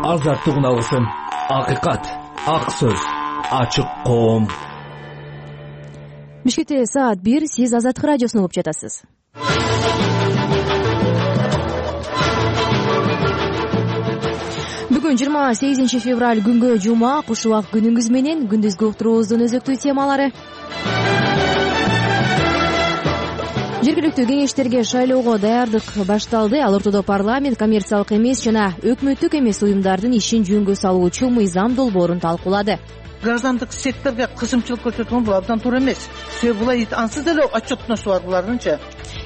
Азаттык үналысын, акыйкат, ак сөз, ачык коом. Бишкекте саат 1, сиз Азаттык радиосун угуп жатасыз. Бүгүн 28 февраль күнгө жума, куш убак күнүңүз менен күндүзгү уктуруубуздун өзөктүү темалары. Жергиликтүү кеңештерге шайлоого даярдык башталды. Ал ортодо парламент коммерциялык эмес жана өкмөттүк эмес уюмдардын ишин жөнгө салуучу мыйзам долбоорун талкуулады. Граждандык секторго кысымчылык көрсөткөн бул абдан туура эмес. Себеби булар ансыз деле отчетносу бар булардынчы.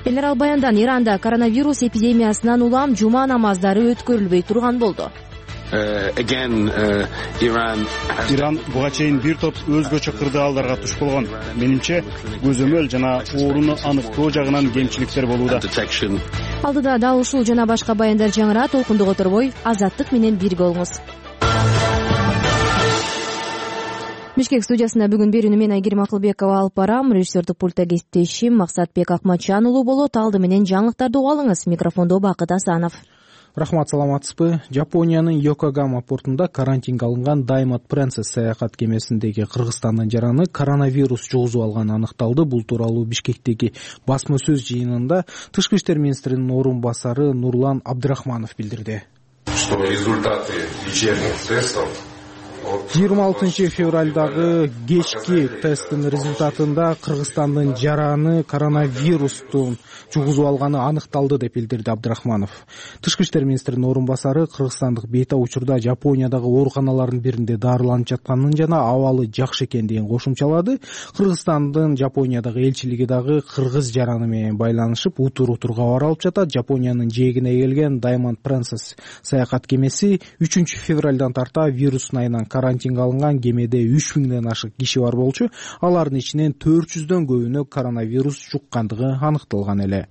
Элдер Албаяндан Иранда коронавирус эпидемиясынан улам жума намаздары өткөрүлбөй турган болду. Иран буга чейин бир топ өзгөчө кырдаалдарга туш болгон. Менимче, көзөмөл жана ооруну аныктоо жагынан кемчиликтер болууда. Алдыда дал ушул жана башка баяндар жаңыра, толкундук оторбой Азаттык менен бирге болуңуз. Бишкек студиясында бүгүн берүүнү мен Айгерим Акылбекова алып барам. Режиссердик пультта кесиптешим Максатбек Акматжан уулу болот. Алды менен жаңылыктарды угуп алыңыз. Микрофондо Бакыт Асанов. Рахмат, саламатсызбы? Жапониянын Йокогама портунда карантинге алынган Diamond Princess саякат кемесиндеги Кыргызстандын жараны коронавирус жугузуп алганы аныкталды. Бул тууралуу Бишкектеги басма сөз жыйынында Тышкы иштер министринин орун басары Нурлан Абдрахманов билдирди. Что результаты вечерних тестов 26 февралдагы кечки тесттин результатында Кыргызстандын жараны коронавирустун жугузуп алганы аныкталды деп билдирди Абдрахманов. Тышкы иштер министринин орун басары кыргызстандык бейта учурда Жапониядагы ооруканалардын биринде дарыланып жатканын жана абалы жакшы экендигин кошумчалады. Кыргызстандын Жапониядагы элчилиги дагы кыргыз жараны менен байланышып, утур-утур кабар алып жатат. Жапониянын жээгине келген Diamond Princess саякат кемеси 3 февралдан тарта вирус айынан карантинге алынган. Кемеде 3000ден ашык киши бар болчу. Алардын ичинен 400дөн көбүнө коронавирус жуккандыгы аныкталган эле.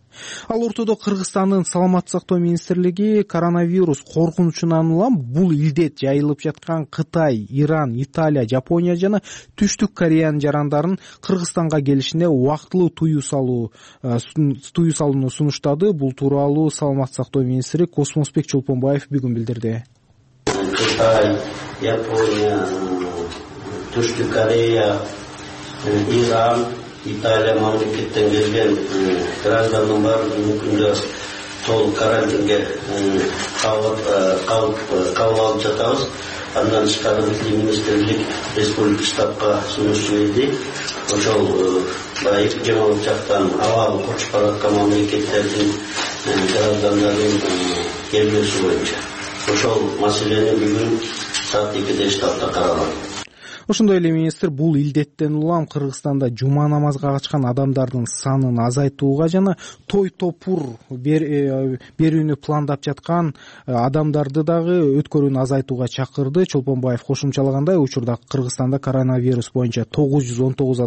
Ал ортодо Кыргызстандын саламаттык сактоо министрлиги коронавирус коркунучунан улам бул илдет жайылып жаткан Кытай, Иран, Италия, Жапония жана Түштүк Кореянын жарандарын Кыргызстанга келишине убактылуу тыюу салууну сунуштады. Бул тууралуу саламаттык сактоо министри Космосбек Чолпонбаев бүгүн билдирди. Кытай, Япония, Түштүк Корея, Иран, Италия мамлекеттен келген граждандын баардыгын мүмкүндө толук карантинге кабыл алып жатабыз. Андан тышкары министрлик республика штабка сунуш жиберди. Ошол эпидемиологиялык жактан абалы кочуп бараткан мамлекеттердин граждандарын келбөөсү боюнча ошол маселени бүгүн саат 2де штабта каралат. Ошондой эле министр бул илдеттен улам Кыргызстанда жума намазга качкан адамдардын санын азайтууга жана той топур берүүнү пландап жаткан адамдарды дагы өткөрүүнү азайтууга чакырды. Чолпонбаев кошумчалагандай, учурда Кыргызстанда коронавирус боюнча 919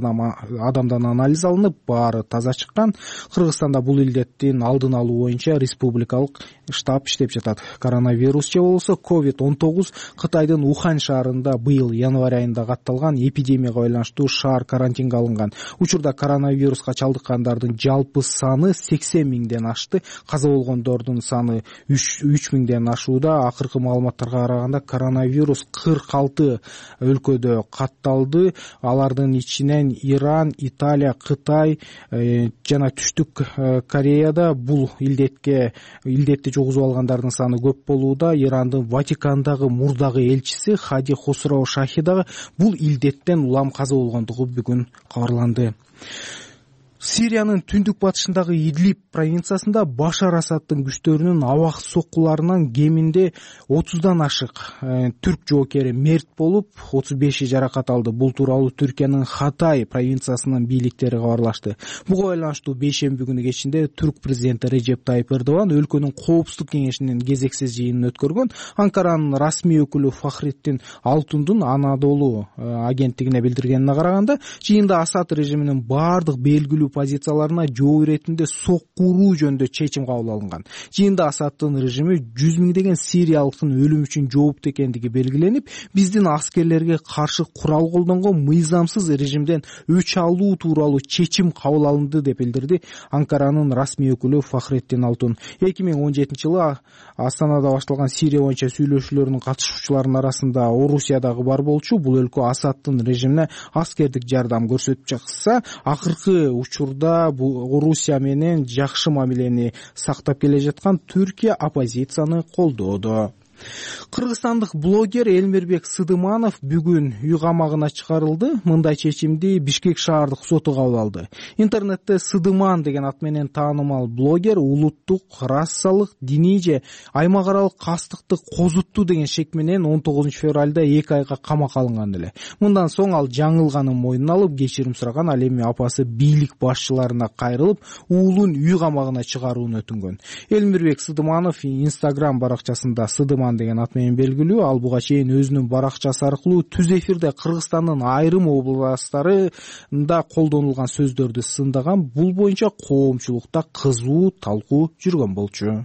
адамдан анализ алынып, баары таза чыккан. Кыргызстанда бул илдеттин алдын алуу боюнча республикалык штаб иштеп жатат. Коронавирус же болбосо COVID-19 Кытайдын Ухань шаарында быйыл январь айында катталган эпидемияга байланыштуу шаар карантинге алынган. Учурда коронавируска чалдыккандардын жалпы саны 80 миңден ашты. Каза болгондордун саны 3000ден ашууда. Акыркы маалыматтарга караганда коронавирус 46 өлкөдө катталды. Алардын ичинен Иран, Италия, Кытай жана Түштүк Кореяда бул илдетти жугузуп алгандардын саны көп болууда. Ирандын Ватикандагы мурдагы элчиси Хади Хосроу Шахи дагы бул илдеттен улам каза болгондугу бүгүн кабарланды. Сириянын түндүк батышындагы Идлиб провинциясында Башар Асаддын күчтөрүнүн абак соккуларынан кеминде 30дан ашык түрк жоокери мерт болуп, 35 жаракат алды. Бул тууралуу Түркиянын Хатай провинциясынын бийликтери кабарлашты. Буга байланыштуу бейшемби күнү кечинде түрк президенти Режеп Тайып Эрдоган өлкөнүн коопсуздук кеңешинин кезексиз жыйынын өткөргөн. Анкаранын расмий өкүлү Фахриддин Алтундун Анадолу агенттигине билдиргенине караганда, жыйында Асад режиминин баардык белгилүү позицияларына жооп иретинде сокку уруу жөнүндө чечим кабыл алынган. Жыйында Асаддын режими 100 миңдеген сириялыктын өлүмү үчүн жооптуу экендиги белгиленип, биздин аскерлерге каршы курал колдонгон мыйзамсыз режимден өч алуу тууралуу чечим кабыл алынды деп билдирди Анкаранын расмий өкүлү Фахреттин Алтун. 2017-жылы Астанада башталган Сирия боюнча сүйлөшүүлөрдүн катышуучуларынын арасында Орусиядагы бар болчу. Бул өлкө Асаддын режимине аскердик жардам көрсөтүп жатса, акыркы учурда бул Орусия менен жакшы мамилени сактап келе жаткан Түркия оппозицияны колдоодо. Кыргызстандык блогер Элмирбек Сыдыманов бүгүн үй камагына чыгарылды. Мындай чечимди Бишкек шаардык соту кабыл алды. Интернетте Сыдыман деген ат менен таанымал блогер улуттук, расалык, диний же аймак аралык кастыкты козутту деген шек менен 19 февралда 2 айга камакка алынган эле. Мындан соң ал жаңылганын мойнуна алып, кечирим сураган. Ал эми апасы бийлик башчыларына кайрылып, уулун үй камагына чыгарууну өтүнгөн. Элмирбек Сыдыманов Instagram баракчасында Сыдыман деген ат менен белгилүү. Ал буга чейин өзүнүн баракчасы аркылуу түз эфирде Кыргызстандын айрым областтарында колдонулган сөздөрдү сындаган. Бул боюнча коомчулукта кызуу талкуу жүргөн болчу.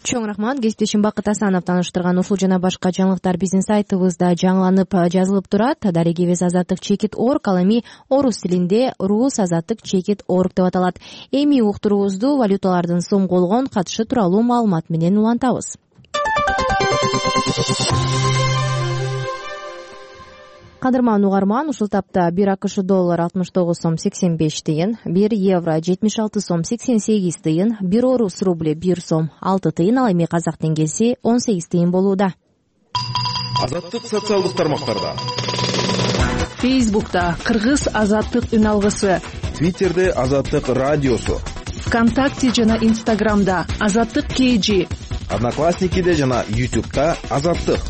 Чоң рахмат. Кесиптешим Бакыт Асанов тааныштырган ушул жана башка жаңылыктар биздин сайтыбызда жаңыланып жазылып турат. Дарегибиз azattik.org, ал эми орус тилинде rusazattik.org деп аталат. Эми уктуруубузду валюталардын сом болгон катышы тууралуу маалымат менен улантабыз. Кадырман угарман, ушул тапта 1 АКШ доллар 69 сом 85 тыйын, 1 евро 76 сом 88 тыйын, 1 орус рубли 1 сом 6 тыйын, ал эми казак теңгеси 18 тыйын болууда. Азаттык социалдык тармактарда. Фейсбукта Кыргыз азаттык үн алгысы, Твиттерде Азаттык радиосу, ВКонтакте жана Инстаграмда Азаттык KG, Одноклассникиде жана YouTube'да Азаттык.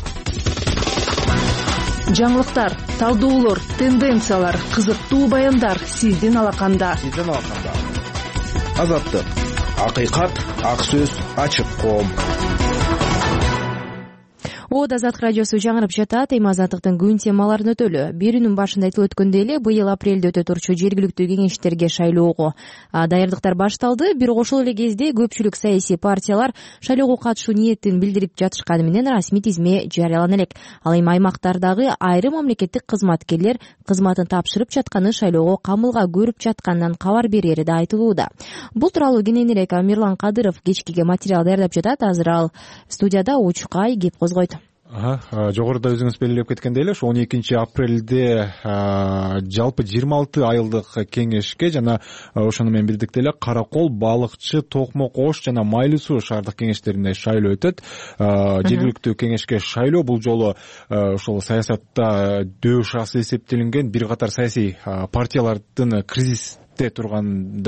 Жаңылыктар, талдоолор, тенденциялар, кызыктуу баяндар сиздин алаканда. Азаттык. Акыйкат, ак сөз, ачык коом. Азаттык радиосу жаңырып жатат. Эми азаттыктын күн темаларын өтөлү. Берүүнүн башында айтылып өткөндөй эле, быйыл апрелде өтө турчу жергиликтүү кеңештерге шайлоого даярдыктар башталды. Бирок ошол эле кезде көпчүлүк саясий партиялар шайлоого катышуу ниетин билдирип жатышканы менен расмий тизме жарыялана элек. Ал эми аймактардагы айрым мамлекеттик кызматкерлер кызматын тапшырып жатканы шайлоого камылга көрүп жатканынан кабар берери да айтылууда. Бул тууралуу кененирээк Мирлан Кадыров кечкиге материал даярдап жатат. Азыр ал студияда Учкай кеп козгойт. Жогоруда өзүңүз белгилеп кеткендей эле, 12 апрелде жалпы 26 айылдык кеңешке жана ошону менен бирдикте эле Каракол, Балыкчы, Токмок, Ош жана Майлуу суу шаардык кеңештерине шайлоо өтөт. Жергиликтүү кеңешке шайлоо бул жолу ошол саясатта дөү шаасы эсептелинген бир катар саясий партиялардын кризисте турган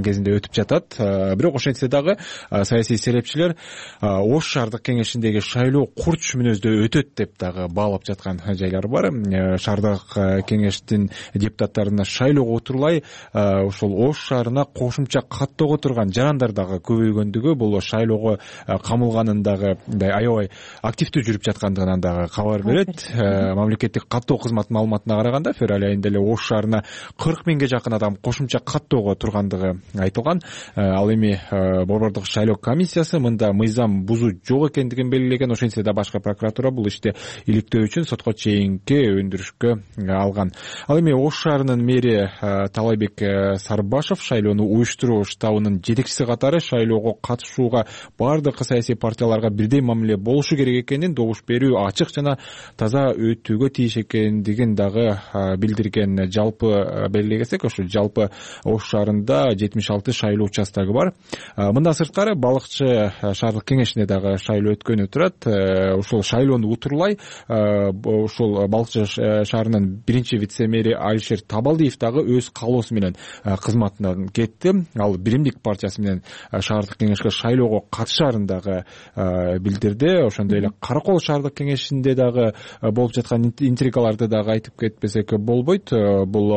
кезинде өтүп жатат. Бирок ошентсе дагы саясий серепчилер Ош шаардык кеңешиндеги шайлоо курч мүнөздө өтөт деп дагы баалап жаткан жайлар бар. Шаардык кеңештин депутаттарына шайлоого отурлай ошол Ош шаарына кошумча каттоого турган жарандар дагы көбөйгөндүгү, бул шайлоого камылганын дагы аябай активдүү жүрүп жаткандыгынан дагы кабар берет. Мамлекеттик каттоо кызматынын маалыматына караганда февраль айында эле Ош шаарына 40 миңге жакын адам кошумча каттоого тургандыгы айтылган. Ал эми борбордук шайлоо комиссиясы мында мыйзам бузуу жок экендигин белгилеген. Ошентсе да башкы прокуратура бул ишти иликтөө үчүн сотко чейинки өндүрүшкө алган. Ал эми Ош шаарынын мэри Талайбек Сарбашев шайлоону уюштуруу штабынын жетекчиси катары шайлоого катышууга бардык саясий партияларга бирдей мамиле болушу керек экенин, добуш берүү ачык жана таза өтүүгө тийиш экендигин дагы билдирген. Жалпы белгилегесек, ошо жалпы Ош шаарында 76 шайлоо участогу бар. Мындан сырткары Балыкчы шаардык кеңешине дагы шайлоо өткөнү турат. Ошол шайлоону утурлай ошол Балыкчы шаарынын биринчи вице-мэри Алишер Табалдиев дагы өз каалоосу менен кызматынан кетти. Ал Биримдик партиясы менен шаардык кеңешке шайлоого катышаарын дагы билдирди. Ошондой эле Каракол шаардык кеңешинде дагы болуп жаткан интригаларды дагы айтып кетпесек болбойт. Бул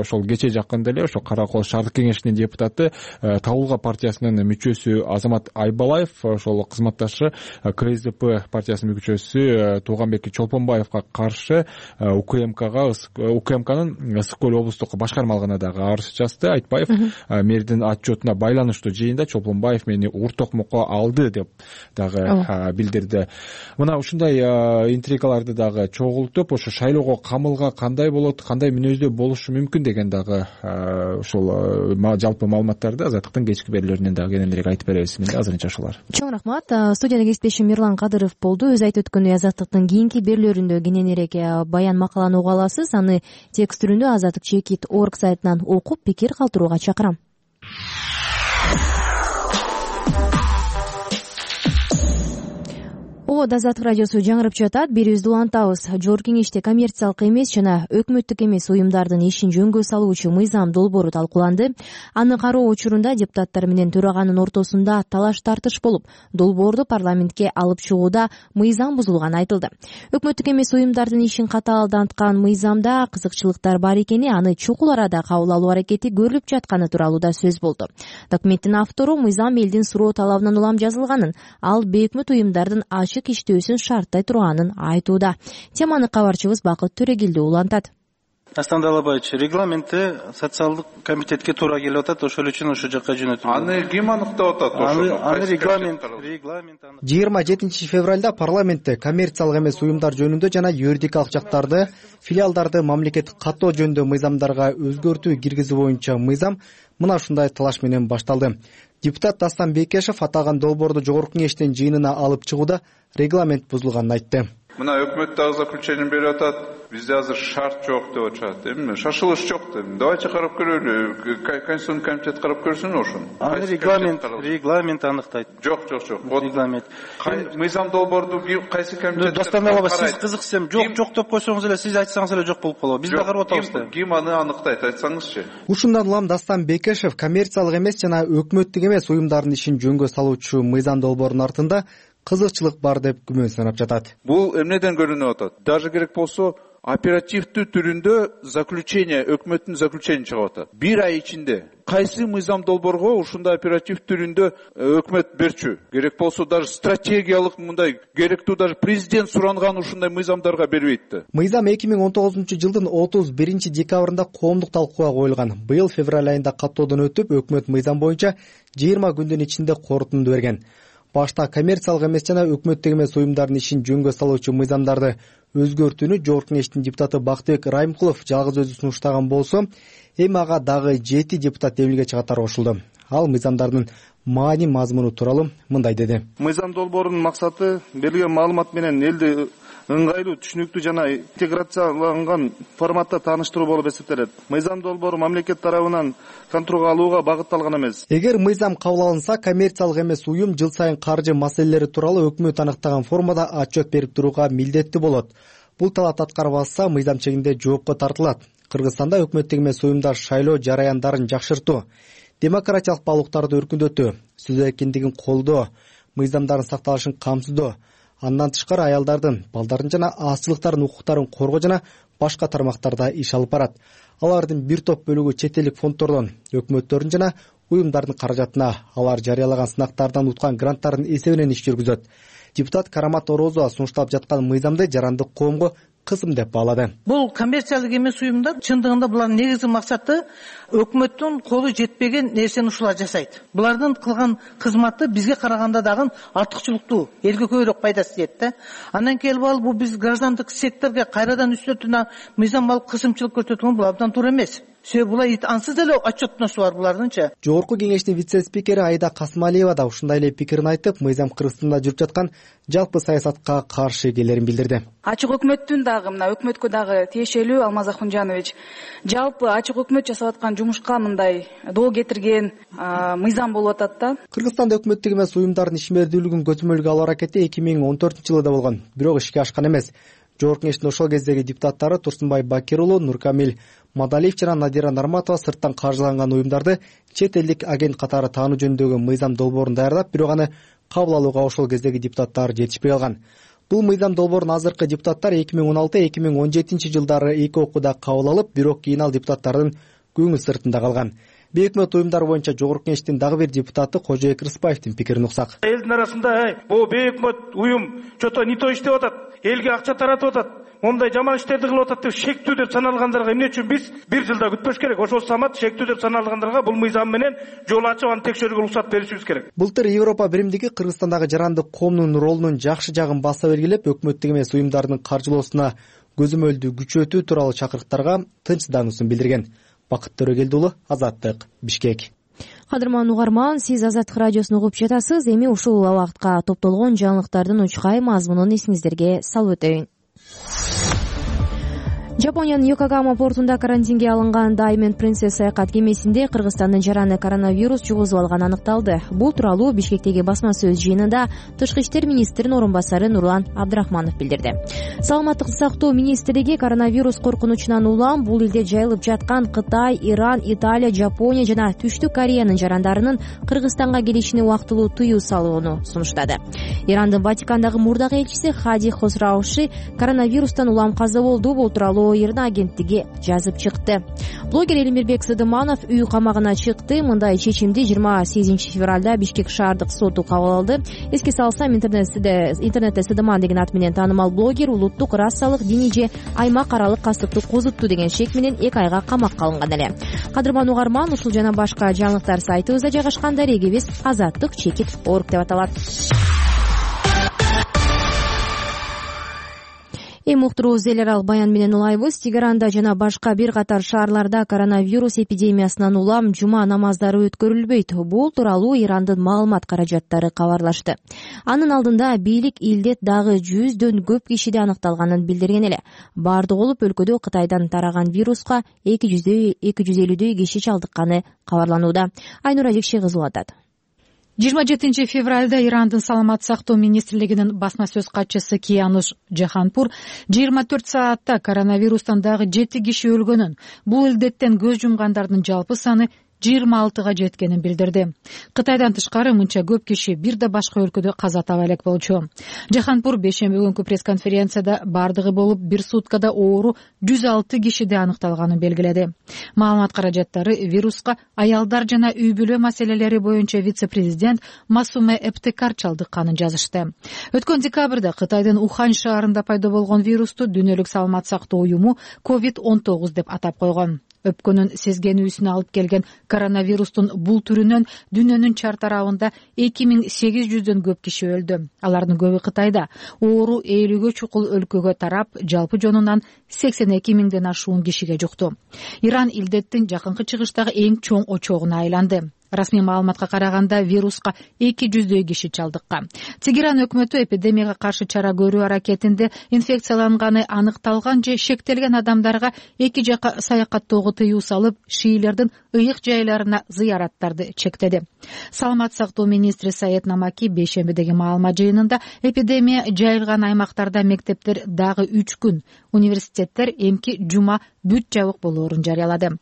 ошол кечээ жакында эле ошо Кара Кол шаардык кеңешинин депутаты Табылга партиясынын мүчөсү Азамат Айбалаев ошол кызматташы КСДП партиясынын мүчөсү Тууганбек Чолпонбаевга каршы УКМКнын Ысык Көл облустук башкармалыгына дагы арыз жазды. Айтбаев мэрдин отчетуна байланыштуу жыйында Чолпонбаев мени ур токмокко алды деп дагы билдирди. Мына ушундай интригаларды дагы чогултуп, ошо шайлоого камылга кандай болот, кандай мүнөздө болушу мүмкүн деген дагы ошол жалпы маалыматтарды Азаттыктын кечки берүүлөрүнөн дагы кененирээк айтып беребиз. Менде азырынча ушулар. Чоң рахмат. Студияда кесиптешим Мирлан Кадыров болду. Өз айтып өткөндөй Азаттыктын кийинки берүүлөрүндө кененирээк баян макаланы уга аласыз. Аны текст түрүндө azattik.org сайтынан окуп, пикир калтырууга чакырам. Азаттык радиосу жаңырып жатат. Бирибизди улантабыз. Жогорку кеңеште коммерциялык эмес жана өкмөттүк эмес уюмдардын ишин жөнгө салуучу мыйзам долбоору талкууланды. Аны кароо учурунда депутаттар менен төраганын ортосунда талаш тартыш болуп, долбоорду парламентке алып чыгууда мыйзам бузулганы айтылды. Өкмөттүк эмес уюмдардын ишин катаалданткан мыйзамда кызыкчылыктар бар экени, аны чукул арада кабыл алуу аракети көрүлүп жатканы тууралуу да сөз болду. Документтин автору мыйзам элдин суроо талабынан улам жазылганын, ал бейөкмөт уюмдардын ачык иштөөсүн шарттай турганын айтууда. Теманы кабарчыбыз Бакыт Төрегилди улантат. Аслан Далабаевич, регламентти социалдык комитетке туура келип атат, ошол үчүн ошол жакка жөнөтүлдү. Аны ким аныктап атат? Аны регламент 27 февралда парламентте коммерциялык эмес уюмдар жөнүндө жана юридикалык жактарды, филиалдарды мамлекеттик каттоо жөнүндө мыйзамдарга өзгөртүү киргизүү боюнча мыйзам мына ушундай талаш менен башталды. Депутат Дастан Бекешев аталган долбоорду жогорку кеңештин жыйынына алып чыгууда регламент бузулганын айтты. Мына өкмөт дагы заключение берип атат. Бизде азыр шарт жок деп атышат. Эми шашылыш жок деп. Давайте карап көрөлү. Конституционный комитет карап көрсүн ошону. Аны регламент аныктайт. Жок. Регламент. Мыйзам долбоорду кайсы комитет? Достаналова, сиз кызыксам жок деп койсоңуз эле, сиз айтсаңыз эле жок болуп калат. Биз да карап атабыз да. Ким аны аныктайт, айтсаңызчы. Ушундан улам Дастан Бекешев коммерциялык эмес жана өкмөттүк эмес уюмдардын ишин жөнгө салуучу мыйзам долбоорунун артында кызыкчылык бар деп күмөн санап жатат. Бул эмнеден көрүнүп атат? Даже керек болсо оперативдүү түрүндө заключение, өкмөттүн заключение чыгып атат. Бир ай ичинде кайсы мыйзам долбоорго ушундай оператив түрүндө өкмөт берчү? Керек болсо даже стратегиялык мындай керектүү даже президент суранган ушундай мыйзамдарга бербейт да. Мыйзам 2019-жылдын 31-декабрында коомдук талкууга коюлган. Быйыл февраль айында каттоодон өтүп, өкмөт мыйзам боюнча 20 күндүн ичинде корутунду берген. Башта коммерциялык эмес жана өкмөттүк эмес уюмдардын ишин жөнгө салуучу мыйзамдарды өзгөртүүнү жогорку кеңештин депутаты Бактыбек Райымкулов жалгыз өзү сунуштаган болсо, эми ага дагы 7 депутат эмилге чыгатары кошулду. Ал мыйзамдардын маани мазмуну тууралуу мындай деди. Мыйзам долбоорунун максаты берилген маалымат менен элди ыңгайлуу, түшүнүктүү жана интеграцияланган форматта тааныштыруу болуп эсептелет. Мыйзам долбоору мамлекет тарабынан контролго алууга багытталган эмес. Эгер мыйзам кабыл алынса, коммерциялык эмес уюм жыл сайын каржы маселелери тууралуу өкмөт аныктаган формада отчет берип турууга милдеттүү болот. Бул талап аткарбаса, мыйзам чегинде жоопко тартылат. Кыргызстанда өкмөттүк эмес уюмдар шайлоо жараяндарын жакшыртуу, демократиялык баалуулуктарды өркүндөтүү, сөз эркиндигин колдоо, мыйзамдардын сакталышын камсыздоо, андан тышкары аялдардын, балдардын жана азчылыктардын укуктарын коргоо жана башка тармактарда иш алып барат. Алардын бир топ бөлүгү чет элдик фонддордон, өкмөттөрдүн жана уюмдардын каражатына, алар жарыялаган сынактардан уткан гранттардын эсебинен иш жүргүзөт. Депутат Карамат Орозова сунушталып жаткан мыйзамды жарандык коомго кызым деп баалады. Бул коммерциялык эмес уюмдар чындыгында булардын негизги максаты өкмөттүн колу жетпеген нерсени ушулар жасайт. Булардын кылган кызматы бизге караганда дагы артыкчылыктуу, элге көбүрөөк пайдасы тиет да. Андан келип алып бул биз граждандык секторго кайрадан үстөтүнө мыйзам алып кысымчылык көрсөткөн бул абдан туура эмес. Себеби булар ансыз деле отчетносу бар булардынча. Жогорку кеңештин вице-спикери Айда Касмалиева да ушундай эле пикирин айтып, мыйзам Кыргызстанда жүрүп жаткан жалпы саясатка каршы экенлерин билдирди. Ачык өкмөттүн дагы мына өкмөткө дагы тиешелүү Алмаз Ахунжанович, жалпы ачык өкмөт жасап аткан жумушка мындай доо кетирген мыйзам болуп атат да. Кыргызстанда өкмөттүк эмес уюмдардын ишмердүүлүгүн көзөмөлгө алуу аракети 2014-жылда болгон, бирок ишке ашкан эмес. Жогорку кеңештин ошол кездеги депутаттары Турсунбай Бакир уулу, Нуркамил Мадалиев жана Надира Нарматова сырттан каржыланган уюмдарды чет элдик агент катары таануу жөнүндөгү мыйзам долбоорун даярдап, бирок аны кабыл алууга ошол кездеги депутаттар жетишпей калган. Бул мыйзам долбоорун азыркы депутаттар 2016-2017 жылдары эки окууда кабыл алып, бирок кийин ал депутаттардын көңүл сыртында калган. Өкмөт уюмдары боюнча жогорку кеңештин дагы бир депутаты Кожоек Рыспаевдин пикирин уксак. Элдин арасында бул өкмөт уюм чото не то иштеп атат, элге акча таратып атат, момундай жаман иштерди кылып атат деп шектүү деп саналгандарга эмне үчүн биз бир жылда күтпөш керек? Ошол самат шектүү деп саналгандарга бул мыйзам менен жол ачып аны текшерүүгө уруксат беришибиз керек. Былтыр Европа биримдиги Кыргызстандагы жарандык коомдун ролунун жакшы жагын баса белгилеп, өкмөттүк эмес уюмдардын каржылоосуна көзөмөлдү күчөтүү тууралуу чакырыктарга тынчсыздануусун билдирген. Бакыт Төрөгелдиулу, Азаттык, Бишкек. Кадырман угарман, сиз Азаттык радиосун угуп жатасыз. Эми ушул убакытка топтолгон жаңылыктардын учкай мазмунун эсиңиздерге салып өтөйүн. Жапониянын Йокогама портунда карантинге алынган Diamond Princess саякат кемесинде Кыргызстандын жараны коронавирус жугузуп алганы аныкталды. Бул тууралуу Бишкектеги басма сөз жыйынында Тышкы иштер министринин орун басары Нурлан Абдрахманов билдирди. Саламаттыкты сактоо министрлиги коронавирус коркунучунан улам бул элде жайылып жаткан Кытай, Иран, Италия, Жапония жана Түштүк Кореянын жарандарынын Кыргызстанга келишине убактылуу тыюу салууну сунуштады. Ирандын Ватикандагы мурдагы элчиси Хади Хосрауши коронавирустан улам каза болду. Бул тууралуу Ирна агенттиги жазып чыкты. Блогер Элимирбек Сыдыманов үй камагына чыкты. Мындай чечимди 28 февралда Бишкек шаардык соту кабыл алды. Эске салсам, интернетте Сыдыман деген ат менен таанымал блогер улуттук, расалык, диний же аймак аралык кастыкты козутту деген шек менен 2 айга камакка алынган эле. Кадырман угарман, ушул жана башка жаңылыктар сайтыбызда жайгашкан. Дарегибиз Азаттык _org деп аталат. Эми уктуруу зелерал баян менен улайбыз. Тегеранда жана башка бир катар шаарларда коронавирус эпидемиясынан улам жума намаздары өткөрүлбөйт. Бул тууралуу Ирандын маалымат каражаттары кабарлашты. Анын алдында бийлик илдет дагы 100дөн көп кишиде аныкталганын билдирген эле. Бардык болуп өлкөдө Кытайдан тараган вируска 250 киши чалдыкканы кабарланууда. Айнура Жекше кызы атат. 27 февралда Ирандын саламат сактоо министрлигинин басма сөз катчысы Киянуш Жаханпур 24 саатта коронавирустан дагы 7 киши өлгөнүн, бул илдеттен көз жумгандардын жалпы саны 26га жеткенин билдирди. Кытайдан тышкары мынча көп киши бир да башка өлкөдө каза таба элек болчу. Жаханпур бейшемби күнкү пресс-конференцияда бардыгы болуп бир суткада оору 106 кишиде аныкталганын белгиледи. Маалымат каражаттары вируска аялдар жана үй бүлө маселелери боюнча вице-президент Масуме Эптекар чалдыкканын жазышты. Өткөн декабрда Кытайдын Ухань шаарында пайда болгон вирусту Дүйнөлүк саламат сактоо уюму COVID-19 деп атап койгон. Өпкөнүн сезгенүүсүнө алып келген коронавирустун бул түрүнөн дүйнөнүн чар тарабында 2800дөн көп киши өлдү. Алардын көбү Кытайда. Оору 50гө чукул өлкөгө тарап, жалпы жонунан 82 миңден ашуун кишиге жукту. Иран илдеттин жакынкы чыгыштагы эң чоң очогуна айланды. Расмий маалыматка караганда вируска 200дөй киши чалдыккан. Тегеран өкмөтү эпидемияга каршы чара көрүү аракетинде инфекцияланганы аныкталган же шектелген адамдарга эки жака саякаттоого тыюу салып, шиилердин ыйык жайларына зыяраттарды чектеди. Саламат сактоо министри Саед Намаки бейшембидеги маалымат жыйынында эпидемия жайылган аймактарда мектептер дагы 3 күн, университеттер эмки жума бүт жабык болоорун жарыялады.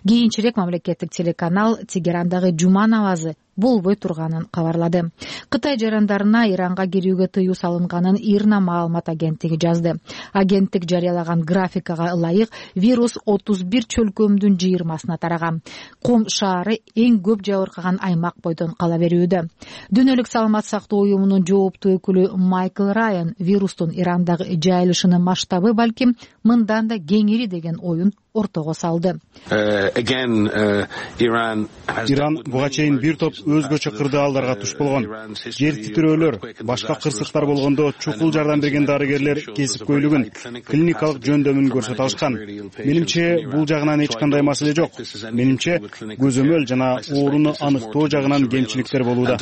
Кийинчерээк мамлекеттик телеканал Тегерандагы жума намазы болбой турганын кабарлады. Кытай жарандарына Иранга кирүүгө тыюу салынганын Ирна маалымат агенттиги жазды. Агенттик жарыялаган графикага ылайык вирус 31 чөлкөмдүн 20-сына тараган. Ком шаары эң көп жабыркаган аймак бойдон кала берүүдө. Дүйнөлүк саламат сактоо уюмунун жооптуу өкүлү Майкл Райан вирустун Ирандагы жайылышынын масштабы балким мындан да кеңири деген оюн ортого салды. Иран буга чейин бир топ өзгөчө кырдаалдарга туш болгон. Жер титирөөлөр, башка кырсыктар болгондо чукул жардам берген дарыгерлер кесипкөйлүгүн, клиникалык жөндөмүн көрсөтө алышкан. Менимче бул жагынан эч кандай маселе жок. Менимче көзөмөл жана ооруну аныктоо жагынан кемчиликтер болууда.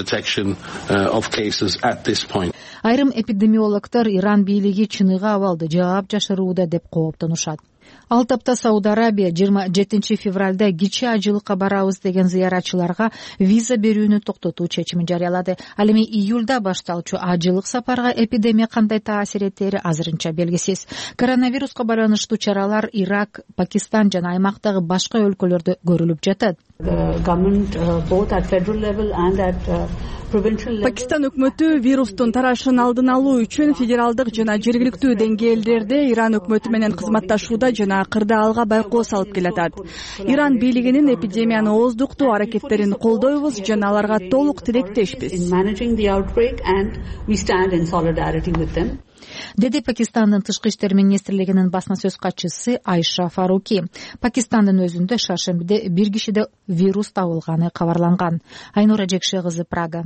Айрым эпидемиологдор Иран бийлиги чыныгы абалды жаап жашырууда деп кооптонушат. Ал тапта Сауд Арабия 27 февралда кичи ажылыкка барабыз деген зыяратчыларга виза берүүнү токтотуу чечимин жарыялады. Ал эми июлда башталчу ажылык сапарга эпидемия кандай таасир этери азырынча белгисиз. Коронавируска байланыштуу чаралар Ирак, Пакистан жана аймактагы башка өлкөлөрдө көрүлүп жатат. Пакистан өкмөтү вирустун тарашын алдын алуу үчүн федералдык жана жергиликтүү деңгээлдерде Иран өкмөтү менен кызматташууда жана акырда алга байкоо салып келатат. Иран бийлигинин эпидемияны ооздуктоо аракеттерин колдойбуз жана аларга толук тилектешпиз, деди Пакистандын тышкы иштер министрлигинин басма сөз катчысы Айша Фаруки. Пакистандын өзүндө шаршембиде бир кишиде вирус табылганы кабарланган. Айнура Жекше кызы, Прага.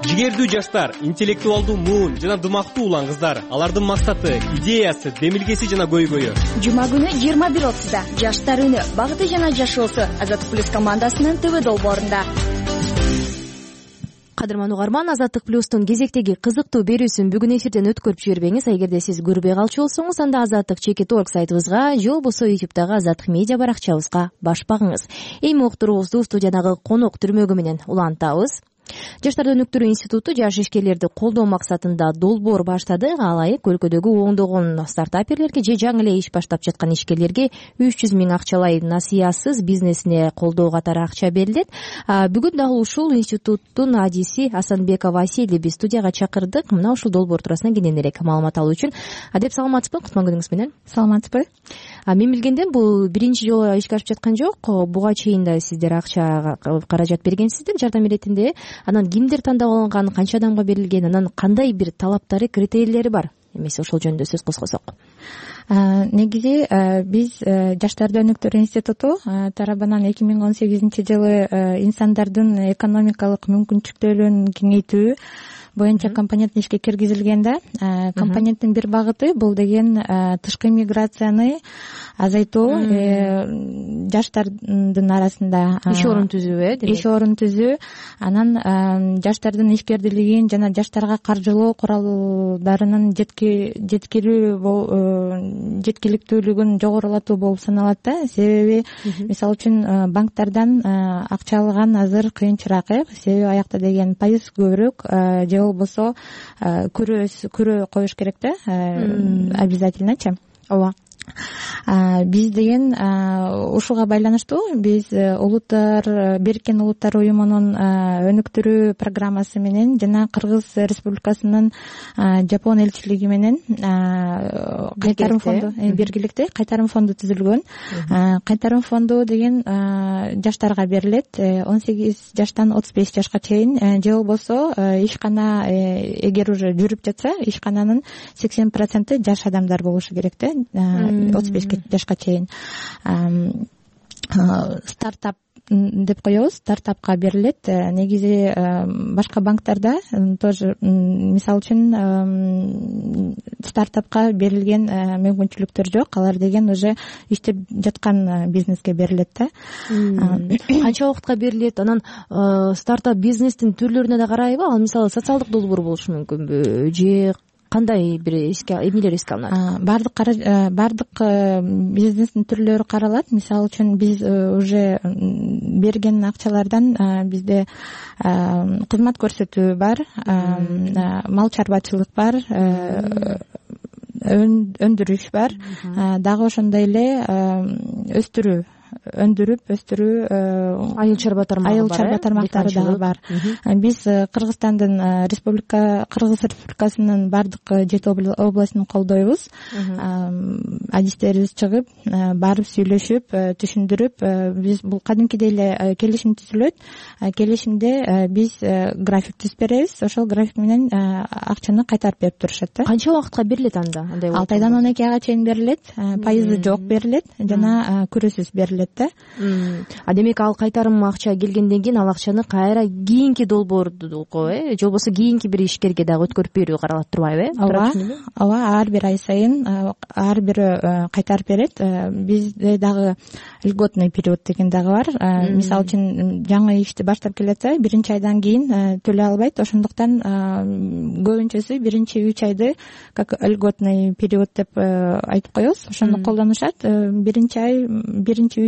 Жигердүү жаштар, интеллектуалдуу муун жана дымактуу улан кыздар. Алардын максаты, идеясы, демилгеси жана көйгөйү. Жума күнү 21:30 Жаштар үнү, багыты жана жашоосу Азаттык плюс командасынын ТВ долбоорунда. Кадырман угарман, Азаттык плюстун кезектеги кызыктуу берүүсүн бүгүн эфирден өткөрүп жибербеңиз. Эгерде сиз көрбөй калчу болсоңуз, анда azattik.org сайтыбызга же болбосо YouTube'дагы Азаттык медиа баракчабызга баш багыңыз. Эми уктуруубузду студиядагы конок түрмөгү менен улантабыз. Жаштарды өнүктүрүү институту жаш ишкерлерди колдоо максатында долбоор баштады. Алайык өлкөдөгү оңдогон стартаперлерге же жаңы эле иш баштап жаткан ишкерлерге 300 000 акчалай насыясыз бизнесине колдоо катары акча берилет. Бүгүн дагы ушул институттун адиси Асанбекова Василий биз студияга чакырдык. Мына ушул долбоор туурасында кененирээк маалымат алуу үчүн. Деп саламатсызбы? Кутман күнүңүз менен. Саламатсызбы? Мен билгенден бул биринчи жолу ишке ашып жаткан жок. Буга чейин да сиздер акча каражат бергенсиздер жардам иретинде. Анан кимдер тандап алынган, канча адамга берилген, анан кандай бир талаптары, критерийлери бар? Эмесе ошол жөнүндө сөз козгосок. Негизи биз Жаштарды өнүктүрүү институту тарабынан 2018-жылы инсандардын экономикалык мүмкүнчүлүктөрүн кеңейтүү боюнча компонент ишке киргизилген да. Компоненттин бир багыты бул деген тышкы миграцияны азайтуу, жаштардын арасында иш орун түзүү, иш орун түзүү, анан жаштардын ишкердилигин жана жаштарга каржылоо куралдарынын жеткиликтүүлүгүн жогорулатуу болуп саналат да. Себеби мисалы үчүн банктардан акча алган азыр кыйынчыраак, себеби аякта деген пайыз көбүрөөк, же болбосо көрө коюш керек да, обязательночу. Ооба. Биз деген ушуга байланыштуу биз Бириккен Улуттар уюмунун өнүктүрүү программасы менен жана Кыргыз Республикасынын Жапон элчилиги менен кайтарым фонду биргиликте кайтарым фонду түзүлгөн. Кайтарым фонду деген жаштарга берилет, 18 жаштан 35 жашка чейин, же болбосо ишкана эгер уже жүрүп жатса, ишкананын 80% жаш адамдар болушу керек да. 35 жашка чейин. Стартап деп коебуз, стартапка берилет. Негизи башка банктарда тоже мисалы үчүн стартапка берилген мүмкүнчүлүктөр жок. Алар деген уже иштеп жаткан бизнеске берилет да. Канча убакытка берилет? Анан стартап бизнестин түрлөрүнө да карайбы? Ал мисалы социалдык долбоор болушу мүмкүнбү? Же кандай бир эмнелер эске алынат? Бардык бизнестин түрлөрү каралат. Мисалы үчүн биз уже берген акчалардан бизде кызмат көрсөтүү бар, мал чарбачылык бар, өндүрүш бар, дагы ошондой эле өстүрүү айыл чарба тармактары дагы бар. Биз Кыргыз Республикасынын бардык 7 областын колдойбуз. Адистерибиз чыгып, барып сүйлөшүп, түшүндүрүп, биз бул кадимкидей эле келишим түзүлөт. Келишимде биз график түзүп беребиз. Ошол график менен акчаны кайтарып берип турушат да. Канча убакытка берилет анда? 6 айдан 12 айга чейин берилет. Пайызы жок берилет жана көрүүсүз берилет. Демек ал кайтарым акча келгенден кийин ал акчаны кайра кийинки долбоордуго, же болбосо кийинки бир ишкерге дагы өткөрүп берүү каралат турбайбы? Ооба, ар бир ай сайын ар бири кайтарып берет. Бизде дагы льготный период деген дагы бар. Мисалы үчүн жаңы ишти баштап келатса, биринчи айдан кийин төлөй албайт. Ошондуктан көбүнчөсү биринчи 3 айды как льготный период деп айтып коебуз. Ошону колдонушат. Биринчи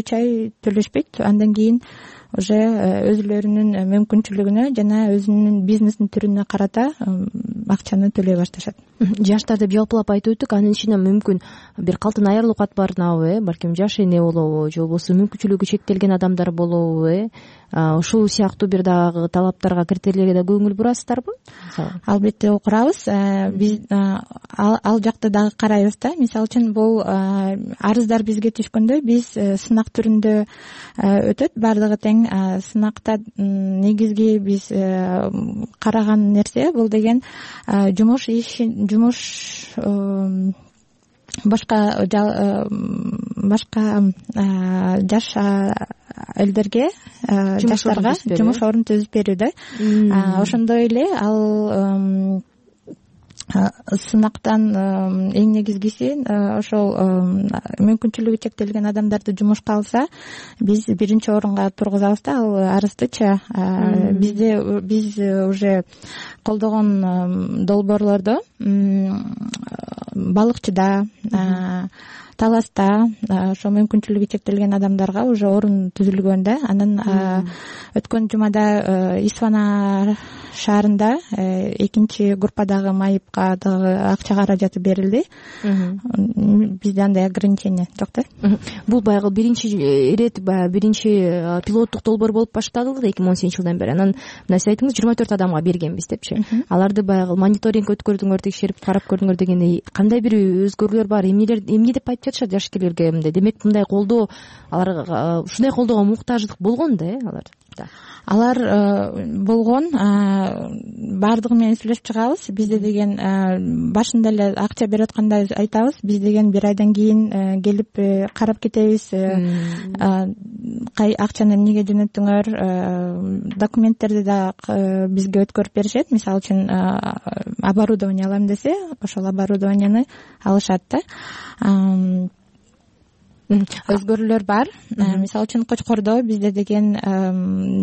3 ай төлөшпөйт. Андан кийин уже өзүлөрүнүн мүмкүнчүлүгүнө жана өзүнүн бизнесинин түрүнө карата акчаны төлөй башташат. Жаштар деп жалпылап айтып өттүк, анын ичинен мүмкүн бир калтын айырылууга барынабы, балким жаш эне болобу же болбосо мүмкүнчүлүгү чектелген адамдар болобу, ушул сыяктуу бир дагы талаптарга, критерийлерге да көңүл бурасыздарбы? Албетте курабыз. Биз ал жакты дагы карайбыз да. Мисалы үчүн бул арыздар бизге түшкөндө биз сынак түрүндө өтөт, баардыгы тең. Сынакта негизги биз караган нерсе бул деген жумуш башка жаш элдерге, жаштарга жумуш орун түзүп берүүдө. Ошондой эле ал сынактан эң негизгиси ошол мүмкүнчүлүгү чектелген адамдарды жумушка алса, биз биринчи орунга тургузабыз да ал арыздычы. Биз уже колдогон долбоорлордо балыкчыда, таласта ошо мүмкүнчүлүгү чектелген адамдарга уже орун түзүлгөн да. Анан өткөн жумада Исфана шаарында экинчи группадагы майыпка дагы акча каражаты берилди. Бизде андай ограничение жок да. Бул баягы биринчи ирет, биринчи пилоттук долбоор болуп башталды 2018 жылдан бери. Анан мына сиз айтыңыз 24 адамга бергенбиз депчи. Аларды баягы мониторинг өткөрдүңөр, текшерип карап көрдүңөр дегендей кандай бир өзгөрүүлөр бар? Эмне деп айтып жатышат жашкерлерге? Демек мындай колдоо, аларга ушундай колдоого муктаждык болгон да, алар болгон. Баардыгы менен сүйлөшүп чыгабыз. Бизде деген башында эле акча берип атканда айтабыз, биз деген бир айдан кийин келип карап кетебиз. Акчаны эмнеге жөнөттүңөр? Документтерди да бизге өткөрүп беришет. Мисалы үчүн оборудование алам десе, ошол оборудованияны алышат да. Өзгөрүүлөр бар. Мисалы үчүн Кочкордо бизде деген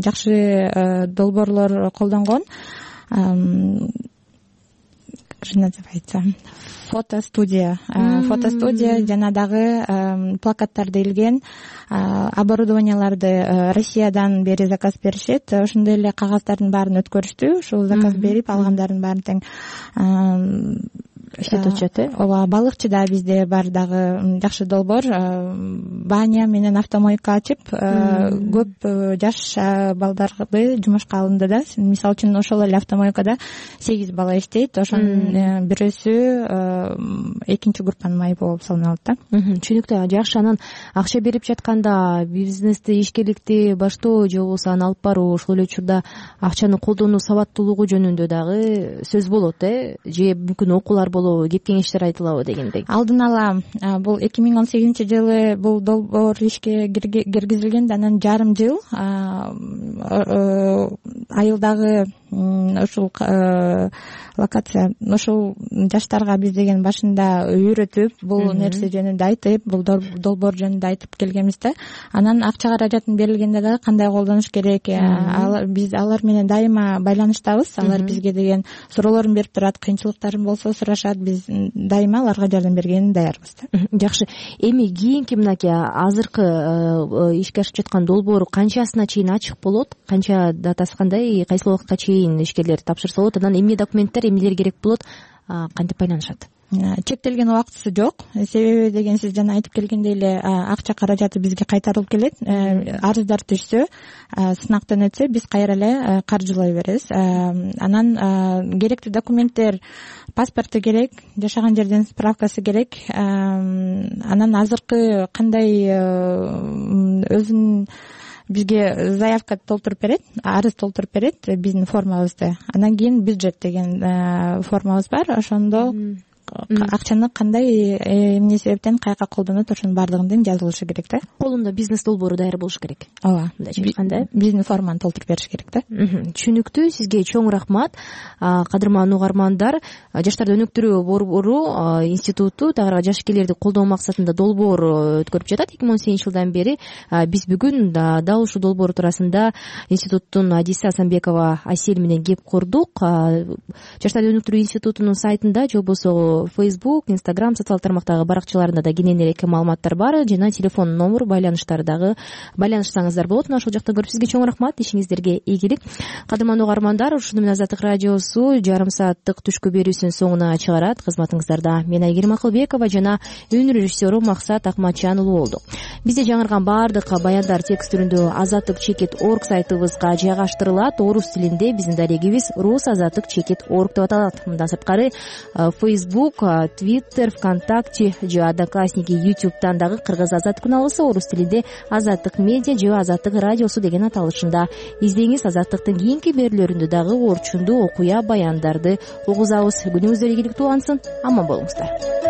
жакшы долбоорлор колдонгон. Фотостудия жана дагы плакаттарды илген, оборудованияларды Россиядан бери заказ беришет. Ошондой эле кагаздардын баарын өткөрүштү. Ушул заказ берип алгандардын баарын тең иштетүүчү. Ооба, балыкчыда бизде бар дагы жакшы долбоор. Баня менен автомойка ачып, көп жаш балдарды жумушка алынды да. Мисалы үчүн ошол эле автомойкада 8 бала иштейт. Ошонун бирөөсү экинчи группанын майыбы болуп саналат да. Түшүнүктүү. Жакшы. Анан акча берип жатканда бизнести, ишкерликти баштоо же болбосо аны алып баруу, ошол эле учурда акчаны колдонуу сабаттуулугу жөнүндө дагы сөз болот, же мүмкүн окуулар кеп кеңештер айтылабы дегендей. Алдын ала бул 2018 жылы бул долбоор ишке киргизилген, анан жарым жыл айылдагы ушул локация, ошол жаштарга биз деген башында үйрөтүп, бул нерсе жөнүндө айтып, бул долбоор жөнүндө айтып келгенбиз да. Анан акча каражатын берилгенде дагы кандай колдонуш керек, биз алар менен дайыма байланыштабыз. Алар бизге деген суроолорун берип турат, кыйынчылыктарын болсо сурашат, биз дайыма аларга жардам бергенге даярбыз да. Жакшы. Эми кийинки мынакей азыркы ишке ашып жаткан долбоор канчасына чейин ачык болот? Канча датасы кандай, кайсы убакытка чейин ишкерлер тапшырса болот? Анан эмне документтер, эмнелер керек болот? Кантип байланышат? Чектелген убактысы жок. Себеби деген сиз жана айтып келгендей эле акча каражаты бизге кайтарылып келет. Арыздар түшсө, сынактан өтсө, биз кайра эле каржылай беребиз. Анан керектүү документтер, паспорту керек, жашаган жерден справкасы керек. Анан азыркы кандай өзүнүн бизге заявка толтуруп берет, арыз толтуруп берет биздин формабызды. Анан кийин бюджет деген формабыз бар. Ошондо акчаны кандай, эмне себептен каяка колдонот, ошонун баардыгын тең жазылышы керек да. Колунда бизнес долбоору даяр болуш керек. Ооба. Мындайча айтканда, биздин форманы толтуруп бериш керек да. Түшүнүктүү. Сизге чоң рахмат. Кадырман угармандар, Жаштарды өнүктүрүү борбору институту тагыраак жашкерлерди колдоо максатында долбоор өткөрүп жатат 2018 жылдан бери. Биз бүгүн дал ушул долбоор туурасында институттун адиси Асанбекова Асель менен кеп курдук. Жаштарды өнүктүрүү институтунун сайтында же болбосо Facebook, Instagram социалдык тармактагы баракчаларында да кенен элек маалыматтар бар жана телефон номер байланышсаңыздар болот. Мына ошол жакта көрүп сизге чоң рахмат, ишиңиздерге ийгилик. Кадырмандуу угармандар, ушуну менен Азаттык радиосу жарым сааттык түшкү берүүсүнүн соңуна чыгарат. Кызматыңыздарда мен Айгерим Акылбекова жана үн режиссеру Максат Акматжан уулу болдук. Бизде жаңырган баардык баяндар текст түрүндө azattik.org сайтыбызга жайгаштырылат. Орус тилинде биздин дарегибиз rusazattik.org деп аталат. Мындан сырткары Facebook, Twitter, ВКонтакте же Одноклассники, YouTube'дан дагы кыргыз азаттык алгысы, орус тилинде Азаттык медиа же Азаттык радиосу деген аталышында издеңиз. Азаттыктын кийинки берүүлөрүндө дагы орчундуу окуя баяндарды угузабыз. Күнүңүздөр ийгиликтүү улансын. Аман болуңуздар.